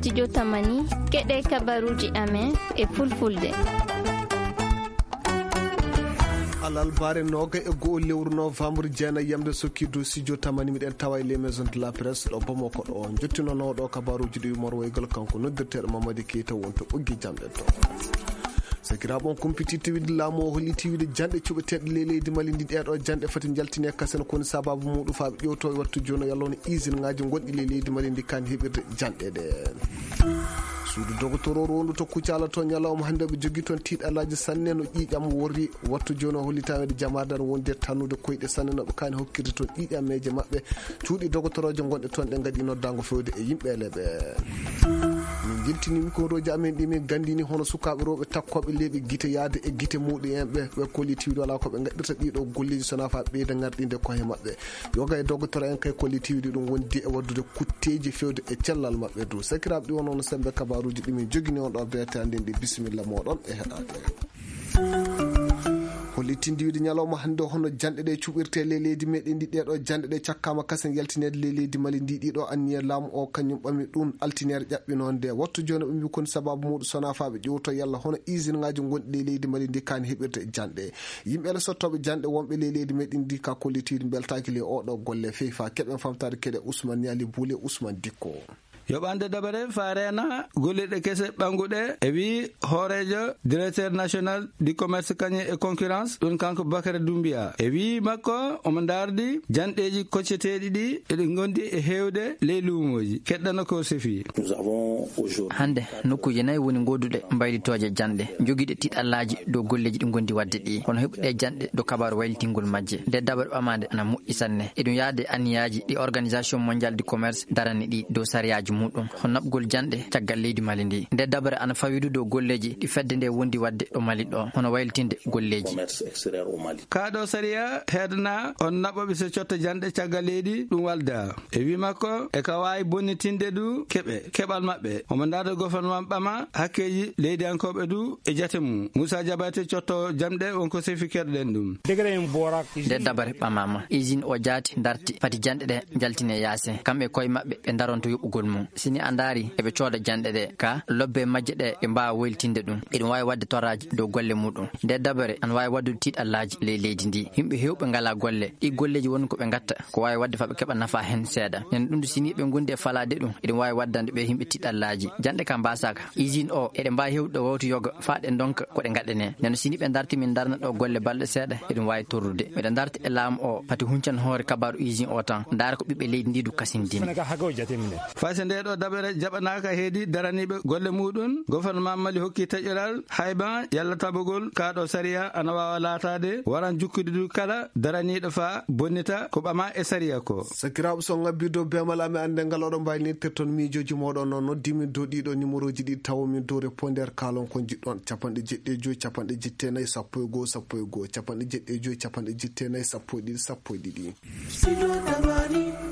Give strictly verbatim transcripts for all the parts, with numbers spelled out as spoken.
Studio Tamani, keɗe kabaruji amen e fulfulde. Alalbaare noga e go'o lewru novembre, jeenayi yamde sokki dow studio Tamani, miɗen tawa e les maisons de la presse ɗo Bamako ɗo. Jottinonoɗo kabaruji ɗi morwoygal kanko noddirteɗo Mamadi Keita wonto ɓoggi jamɗe to. Sakiraaɓe, on kumpititte wiide laamu o holliti wiide janɗe cuɓeteeɗe ley leydi Mali ndi, ɗeeɗo janɗe fati njaltine kasen, ko woni sababu muɗum faa ɓe ƴewto e wattu jooni o yalla hono usine ŋaaji gonɗi ley leydi Mali ndi kaan heɓirde janɗe ɗe. Suudu dogotoro rondu to Kucala to ñalawma hannde ɓe jogii toon tiiɗalaaji sanne no ƴiiƴam worri. Wattu jooni o hollitaama e jamaade ana wondi e tannude koyɗe sanne no ɓe kaani hokkirde toon ƴiiƴameeje maɓɓe. Cuuɗi dogotorooje gonɗe toon ɗe ngaɗi noddaango fewde e yimɓe ele ɓe. Min njeltini mikorooji amen ɗi min nganndini hono sukaaɓe rewɓe takkooɓe leeɓi gite yahde e gite muɗum en ɓe, ɓe kollitiiɗo alaa ko ɓe ngaɗirta ɗiɗo golleeji so wonaa faa ɓeyda ngarɗinde koye maɓɓe. Yoga e dogotoro en kay kollitiiɗi ɗum wondi e waɗdude kutteeji fewde e cellal maɓɓe dow. Sakiraaɓe, ɗi wonno sembe kabaruuji ɗi min jogini on ɗo beete annden ɗi. Bisimilla mooɗon e heɗaade. Hollitinde wiide ñalawma hannde hono janɗe ɗe cuɓirte ley leydi meɗen ndi, ɗeɗo janɗe ɗe cakkaama kasen yaltineede ley leydi Mali ndi. Ɗiɗo anniya laamu o kañum ɓami ɗum altineere ƴaɓɓinoonde. Wattu jooni ɓe mbi kon sababu muɗum so wonaa faa ɓe ƴewto yalla hono usine ŋaaji gonɗi ley leydi Mali ndi kaani heɓirde janɗe. Yimɓe ele sottooɓe janɗe wonɓe ley leydi meɗen ndi ka kollitiiɗi mbeltaaki ley oɗo golle fey faa keɓen famtaade keɗe Ousmane Niali Boule Ousmane Dikko. Yoɓande dabare faa reena golleeɗe kese ɓannguɗe, e wii hooreejo directeur national du commerce kañe e concurrence, ɗum kanko Bakary Doumbia. E wii makko, omo ndaardi janɗeeji kocceteeɗi ɗi eɗi ngondi e heewde ley luumooji. Keɗɗano ko sefi. Hannde, nokkuuje nayi woni ngoduɗe mbaylitooje janɗe, jogiiɗe tiiɗallaaji dow golleeji ɗi ngondi waɗde ɗi. Hono heɓuɗe janɗe dow kabaaru waylitingol majje. Nde dabare ɓamaande ana moƴƴi sanne. Eɗum yaade anniyaaji ɗi Organisation Mondiale du Commerce darani ɗi dow sariyaaji muɗum. Hono naɓgol janɗe caggal leydi Mali ndi. Nde dabare ana fawidu dow golleeji ɗi fedde nde wondi waɗde ɗo Mali ɗo. Hono waylitinde golleeji. Kaa ɗo sariya heedana on naɓoɓe so cotta janɗe caggal leydi ɗum walda. E wii makko, e ka waawi bonnitinde du keɓe, keɓal maɓɓe. Omo ndaarda gouvernement ɓama hakkeeji leydiyankooɓe du e jate mum. Moussa Diabaté cotto jamɗe wonko sefi keɗoɗen ɗum. Nde dabare ɓamaama, usine o jaati darti, fati janɗe ɗe njaltine yaase. Kamɓe koye maɓɓe ɓe ndaronto yoɓugol mum. Sini a ndaari, eɓe cooda janɗe ɗe, ka lobbe majje ɗe, ɓe mbaawa woylitinde ɗum. Eɗum waawi waɗde torraaji dow golle muɗum. Nde dabare ana waawi waɗdude tiiɗallaaji ley leydi ndi. Yimɓe heewɓe ngalaa golle. Ɗi golleeji woni ko ɓe ngatta, ko waawi waɗde faa ɓe keɓa nafaa heen seeɗa. Nen ɗum du, sini ɓe ngondi e falaade ɗum, eɗum waawi waɗdande ɓe yimɓe tiiɗallaaji. Janɗe ka mbaasaaka. Usine o, eɗe mbaawi heewde ɗo wowto yoga, faa ɗe ndonka ko ɗe ngaɗanee. Nen sini ɓe ndarti min ndarna ɗo golle balɗe seeɗa, eɗum waawi torrude. Miɗo ndarti e laamu o, pati huncan hoore kabaaru usine o tan. Ndaara ko ɓiɓɓe leydi ndi du kasindini. Fay so ndee ɗo dabere jaɓanaaka heedi daraniiɓe golle muɗum, gouvernement Mali hokki taƴoral hayban yalla tabogol kaa ɗo sariya ana waawa laataade, waran jukkude du kala daraniiɗo faa bonnita ko ɓamaa e sariya ko. Sakiraaɓe, so on ngabbii dow beemal amen, annden ngal oɗon mbaylinitirton miijooji mooɗon. Noon noddiimin dow ɗiɗo numéroji ɗi tawomin dow répondeur, kaalon ko njiɗɗon, capanɗe jeɗɗi e joy, capanɗe jeɗɗi e nayi, sappo e goo, sappo e goo, capanɗe jeɗɗi e joy, capanɗe jeɗɗi e nayi, sappo e ɗiɗi, sappo e ɗiɗi.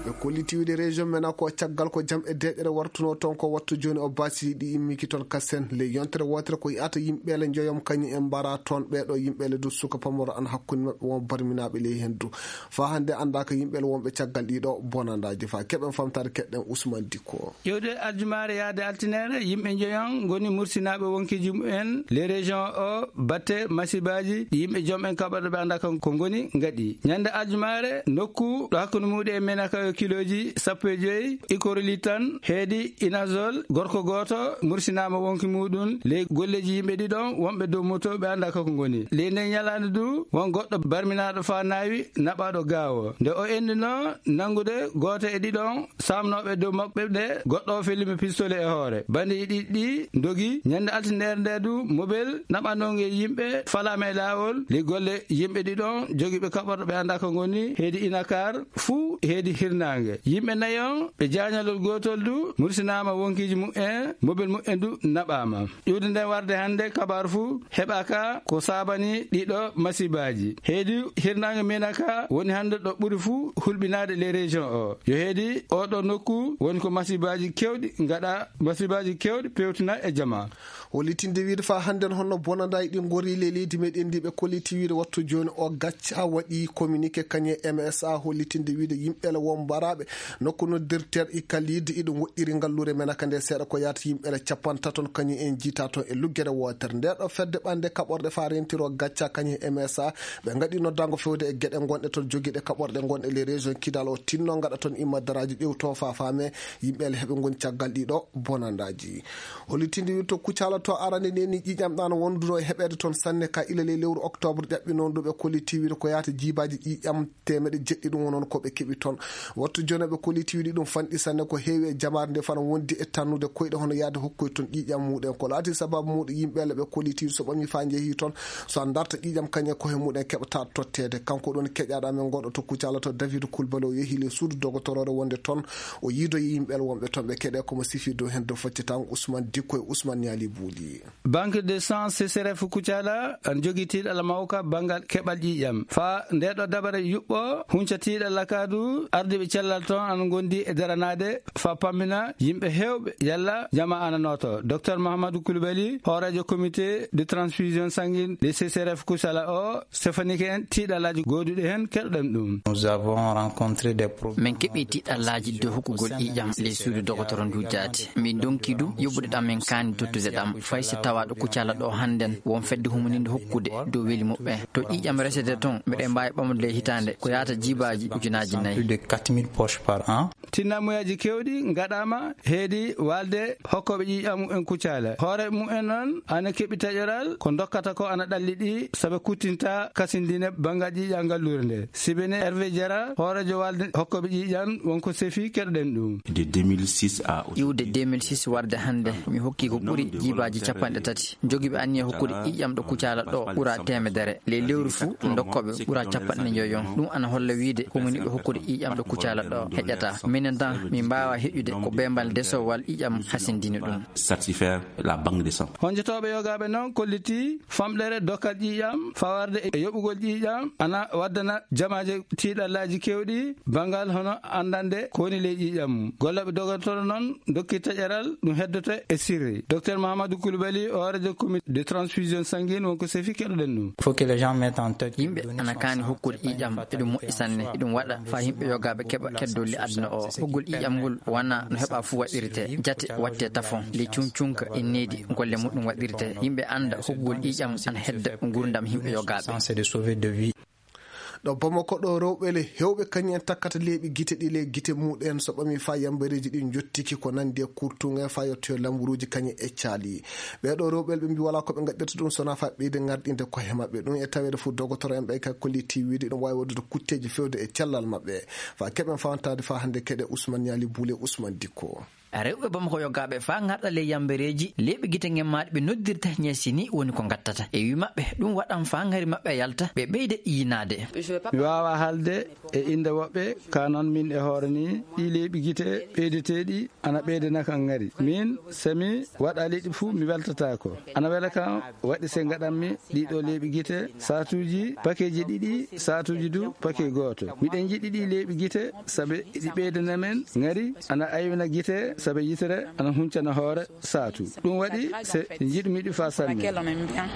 Ɓe kolliti wiide région men ko caggal ko jam e deeƴere wartuno toon ko wattu jooni o baasi ɗi immiki toon kasen. Ley yontere wootere ko yi'ata yimɓeele njoyom kañum en mbara toon. Ɓeeɗo yimɓeele du suka pamaro an hakkunde maɓɓe won barminaaɓe ley heen du. Faa hannde anndaaka yimɓeele wonɓe caggal ɗiɗo bonandaaji. Faa keɓen famtaade keɗɗen Ousmane Dikko. Ƴewde aljumaare yaade altinere, yimɓe njoyon ngoni mursinaaɓe wonkiiji mumen ley région o batte masibaaji ɗi yimɓe jom en kaɓorɗe ɓe anndaa kan ko ngoni ngaɗi. Ñande aljumaare, nokku ɗo hakkunde muuɗum e Menaka yo kilooji sappo e joy, Ikoroli tan heedi Inazol, gorko gooto mursinaama wonki muuɗum ley golleeji yimɓe ɗiɗon wonɓe dow moto ɓe anndaa ko ngoni. Ley nden ñalaande du, won goɗɗo barminaaɗo faa naawi naɓaaɗo gaawo. Nde o enndinoo nanngude gooto e ɗiɗon saamnooɓe dow maɓɓe ɓe, goɗɗo o fellimo pistolet e hoore. Bandeeji ɗiɗi ɗi ndogi. Ñande altinere nde du, mobel naɓanongel yimɓe falaama e laawol. Ley golle yimɓe ɗiɗon jogiiɓe kaɓorɗe ɓe anndaa ko ngoni heedi Inakar fuu heedi hirnaange. Yimɓe nayon ɓe jaañalol gootol du mursinaama wonkiiji mumen, mobel mumen du naɓaama. Iwde nden warde hannde kabaaru fuu heɓaaka ko saabani ɗiɗo masibaaji. Heedi hirnaange Menaka woni hannde ɗo ɓuri fuu hulɓinaade ley région o. Yo heedi oɗo nokku woni ko masibaaji kewɗi ngaɗa, masibaaji kewɗi pewtina e jama. Hollitinde wiide faa hannden honno bonandaaji ɗi ngori ley leydi meɗen ndi, ɓe kolliti wiide wattu jooni o gacca waɗi communiqué kañe M S A hollitinde wiide yimɓe ele won mbara Ɓe nokku noddirteeɗo Ikaliidi iɗum woɗɗiri ngalluure men aka nde seeɗa ko yaata yimɓe ele capantato on kañum en jiita toon e luggere wootere. Nde ɗo fedde ɓande kaɓorɗe faa rentiro gacca kañum e M S A, ɓe ngaɗi noddaango fewde e geɗe gonɗe toon jogiiɗe kaɓorɗe gonɗe les régions Kidal o tinno ngaɗa toon imma daraaji ƴewto faa faame yimɓe ele heɓe ngoni caggal ɗiɗo bonandaaji. Hollitinde wirto Kucala to arande nde ni ƴiiƴam ɗan wonduno e heɓeede toon sanne ka ila ley lewru octobre ƴaɓɓi noon ɗo ɓe kolliti wiide ko yaata jiibaaji ƴiiƴam teemeɗe jeɗɗi ɗum wonon ko ɓe keɓi toon. Wattu jone ɓe kolliti wiide ɗum fanɗi sanne ko heewi e jamaare nde fana wondi e tannude koyɗe hono yaade hokkoy toon ƴiiƴam muɗen. Ko laati sababu muɗum yimɓe ele ɓe kolliti so ɓami faa njehi toon so a darta ƴiiƴam kañe ko he muɗen keɓata totteede. Kanko ɗon keƴaɗo amen goɗɗo to Kucala to David Kulbali o yehi le suudu dogotoroore wonde toon o yiidoyi yimɓe ele wonɓe toon ɓe keɗe komo sifi dow hen dow foccetaango Ousmane Dikko e Ousmane Niali Buuli. Banque de sang C C R F Kucala ana jogii tiiɗalla mawka banngal keɓal ƴiiƴam. Faa nde ɗo dabare yuɓɓo hunca tiiɗalla ka du ardiiɓe cellal toon ana ngondi e daranaade faa pammina yimɓe heewɓe yalla jama ana nooto. Docteur Mahamadou Koulibaly, hooreejo comité de transfusion sanguine de C C R F Kucala o, Stefanike en tiiɗallaaji gooduɗi heen, keɗoɗen ɗum. Nous avons rencontré des problèmes. Min keɓi tiiɗallaaji dow hokkugol ƴiiƴam ley suudu dogotoro ndu jaati. Min ndonki du yoɓude ɗam min kaani tottude ɗam. Fay si tawaaɗo Kucala ɗo hannden won fedde humaninde hokkude dow weli muɓɓen. To ƴiiƴam resete toon, miɗen mbaawi ɓamde ley hitaande ko yaata jiibaaji ujunaaji nayi. Plus de quatre mille poches par an. Tinnamuyaaji keewɗi ngaɗaama heedi waalde hokkooɓe ƴiiƴam en Kucala. Hoore mumen noon ana keɓi taƴoral ko ndokkata ko ana ɗalli ɗi sabe kuttinta kasindine banngal ƴiiƴam ngalluure nde. Sibene Hervé Diarra, hooreejo waalde hokkooɓe ƴiiƴam, wonko sefi keɗoɗen ɗum. De deux mille six à iwde deux mille six warde hannde, mi hokki ko ɓuri jiibaaji capanɗe tati. Jogiiɓe anniya hokkude ƴiiƴam ɗo Kucala ɗo ɓura teemedere. Ley lewru fuu, ndokkooɓe ɓura capanɗe njoyon. Ɗum ana holla wiide ko woni ɓe hokkude ƴiiƴam ɗo Kucala ɗo heƴata. Minen tan, min mbaawa heƴude ko beembal desowal ƴiiƴam hasindini ɗum. Satisfaire la banque de sang. Honjotooɓe yogaaɓe noon kolliti famɗere dokkal ƴiiƴam fawarde e yoɓugol ƴiiƴam ana waddana jamaaje tiiɗallaaji keewɗi banngal hono anndande ko woni ley ƴiiƴam mum. Gollooɓe dogotoro noon dokki taƴeral ɗum heddoto e sirri. Docteur Mahamadou Koulibaly, hooreejo comité de transfusion sanguine, wonko sefi keɗoɗen ɗum. Faut que les gens mettent en tête que yimɓe ana kaani hokkude ƴiiƴam, eɗum moƴƴi sanne. Eɗum waɗa faa yimɓe yogaaɓe keɓa keddolli aduna o. Hokkugol ƴiiƴam ngol wonaa no heɓa fuu waɗirte. Jate waɗte tafon, ley cuncunka e needi golle muɗum waɗirte. Yimɓe annda hokkugol ƴiiƴam ana hedda nguurndam yimɓe yogaaɓe. C'est de sauver de vie. Ɗo Bamako ɗo, rewɓe le heewɓe kañum en takkata leeɓi gite ɗi le gite muɗen so ɓami faa yambareeji ɗi njottiki ko nanndi e kurtuŋe faa yottoyo lamburuuji kañum e caali. Ɓee ɗo rewɓe le ɓe mbi walaa ko ɓe ngaɗirta ɗum so wonaa faa ɓeyde ŋarɗinde koye maɓɓe. Ɗum e taweede fof dogotoro en ɓe ka kolliti wiide ɗum waawi waɗude kutteeji feewde e cellal maɓɓe. Faa keɓen fawantaade faa hannde keɗe Ousmane Niali Buule Ousmane Dikko. Rewɓe Bamako yogaaɓe faa ŋarɗa ley yambareeji leeɓi gite ngemmaaɗi ɓe noddirta ñeesi ni woni ko ngattata. E wii maɓɓe, ɗum waɗan faa ŋari maɓɓe yalta, ɓe ɓeyda yinaade. Mi waawaa haalde e innde woɓɓe, kaa noon min e hoore ni, ɗii leeɓi gite ɓeydeteeɗi ana ɓeydana kam ŋari. Min, so mi waɗa liɗɗi fuu, mi weltataako. Ana wela kam waɗi se ngaɗanmi ɗii ɗoo leeɓi gite, saatuuji pakeeji ɗiɗi, saatuuji du pakee gooto. Miɗen njiɗi ɗii leeɓi gite, sabe ɗi ɓeydana men ŋari, ana aywina gite, sabe yitere ana huncana hoore saatu. Ɗum waɗi se njiɗmi ɗi faa sanne.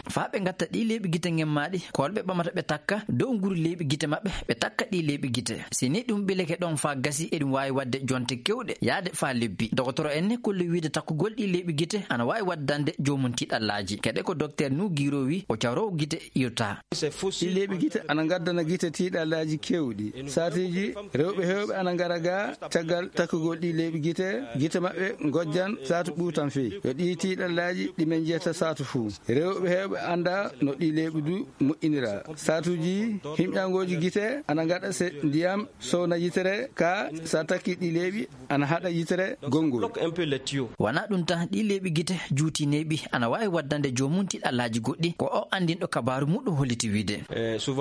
Faa ɓe ngatta ɗii leeɓi gite ngemmaaɗi, koolɓe ɓamata ɓe takka dow nguru leeɓi gite maɓɓe, ɓe takka ɗii leeɓi gite. Si ni ɗum ɓileke ɗon faa gasi, eɗum waawi waɗde jonte keewɗe yaade faa lebbi. Dogotoro en ne kolli wiide takkugol ɗii leeɓi gite ana waawi waddande joomum tiiɗallaaji. Kadi ko Dokteer Nuh Guiro wi, o cawroowo gite irta. Ɗii leeɓi gite ana ngaddana gite tiiɗallaaji keewɗi. Saatiiji, rewɓe heewɓe ana ngara ga caggal takkugol ɗii leeɓi gite, gite maɓɓe ngojjan saatu ɓuutan fey. Yo ɗii tiiɗallaaji ɗi men njiyata saatu fuu. Rewɓe heewɓe annda no ɗii leeɓi du moƴƴinira. Saatuuji, himƴangooji gite ana ngaɗa se ndiyam sowna yitere, ka sa takki ɗii leeɓi ana haɗa yitere gonngol. Wonaa ɗum tan, ɗii leeɓi gite juutineeɓi ana waawi waddande joomum tiiɗallaaji goɗɗi, ko o anndinɗo kabaaru muɗum holliti wiide.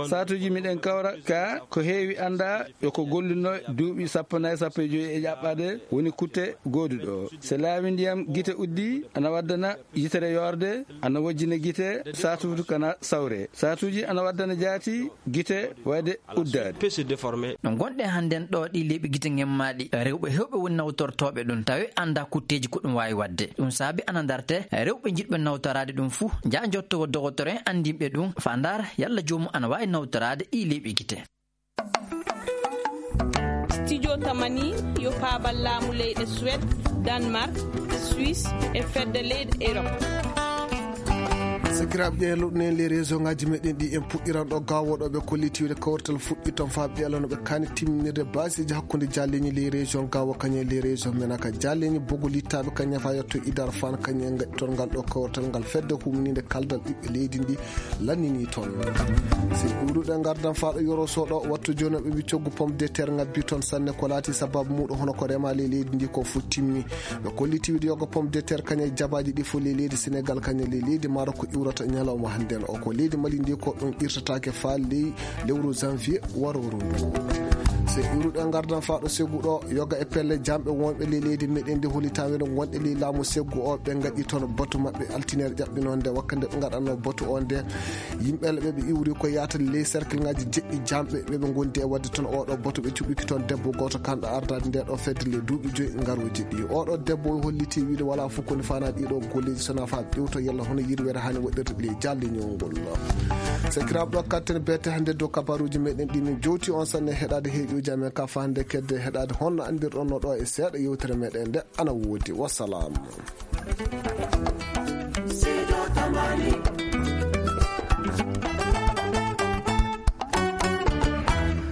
Saatuuji miɗen kawra ka ko heewi annda yo ko golluno duuɓi sappo nayi, sappo e joyi e ƴaɓɓaade woni kutte gooduɗo. Se laawi ndiyam gite uddi, ana waddana yitere yoorde, ana wojjina gite, saatuuji kana sawre. Saatuuji ana waddana jaati gite wayde uddaade. No ngonɗen hannden ɗo, ɗii leeɓi gite ngemmaaɗi, rewɓe heewɓe woni nawtortooɓe ɗum, tawi annda kutteeji ko ɗum waawi waɗde. Ɗum saabi ana ndarte rewɓe njiɗɓe nawtoraade ɗum fuu, njaha njottowo dogotoro en anndinɓe ɗum, faa ndaara yalla joomum ana waawi nawtoraade ɗii leeɓi gite. Studio Tamani yo paabal laamu leyɗe Suède, Danemark, Suisse e fedde leyɗe Europe. Sakiraaɓe, ƴeewen luɗɗunen les région ngaji meɗen ɗi. En puɗɗiran ɗo Gaawo ɗo ɓe kolliti wiyde kawrital fuɗɗi toon faa ɓe ɓeela no ɓe kaani timminirde baasiiji hakkunde jaalleeñi les région Gaawo kañum e les région Menaka. Jaalleeñi Bogo Littaaɓe kañum faa yetto Idar Faan kañum en ngaɗi toon ngal ɗo kawrital ngal fedde humniinde kaldal ɓiɓɓe leydi ndi lannini toon. Si ɗuuɗuɗe ngardan faa ɗo Yoro Soɗo, wattu jooni ɓe mbi coggu pomme de terre ngabbi toon sanne ko laati sababu muuɗum hono ko rema ley leydi ndi ko fof timmi. Ɓe kolliti wiyde yoga pomme de terre kañum e jabaaji ɗi fof ley leydi Senegal kañum e ley leydi Maroc ko iwrata ñalawma hannden o. Ko leydi Mali ndi ko ɗum irtataake faa ley lewru janvier warooru ndu. Se iwruɗe ngardan faa ɗo seggu ɗo yoga e pelle jamɓe wonɓe ley leydi meɗen ndi hollitaa wene wonɓe ley laamu seggu o ɓe ngaɗi toon batu maɓɓe altinere ƴaɓɓinoo nde wakka nde ɓe ngaɗanno batu o nde. Yimɓe ɓe ɓe iwri ko yaata ley cercle ngaji jeɗɗi jamɓe ɓe ɓe ngondi e wadde toon oɗo batu ɓe cuɓiki toon debbo gooto kanɗo ardaade nde ɗo fedde le duuɓi joyi ngarooji ɗi. Oɗo debbo o holliti wiide wala fof koni faana ɗiɗo golleji sona faa ƴewto yalla hono yirwere hani waɗirde le jaalle ñawngol. Sakiraaɓe ɗo katten bete hannde dow kabaruji meɗen ɗi min jowti on sanne heɗade heeƴuji amen ka fa hannde kedde heɗade honno andirɗon no ɗo e seeɗa yewtere meɗen nde ana woodi. Wassalam.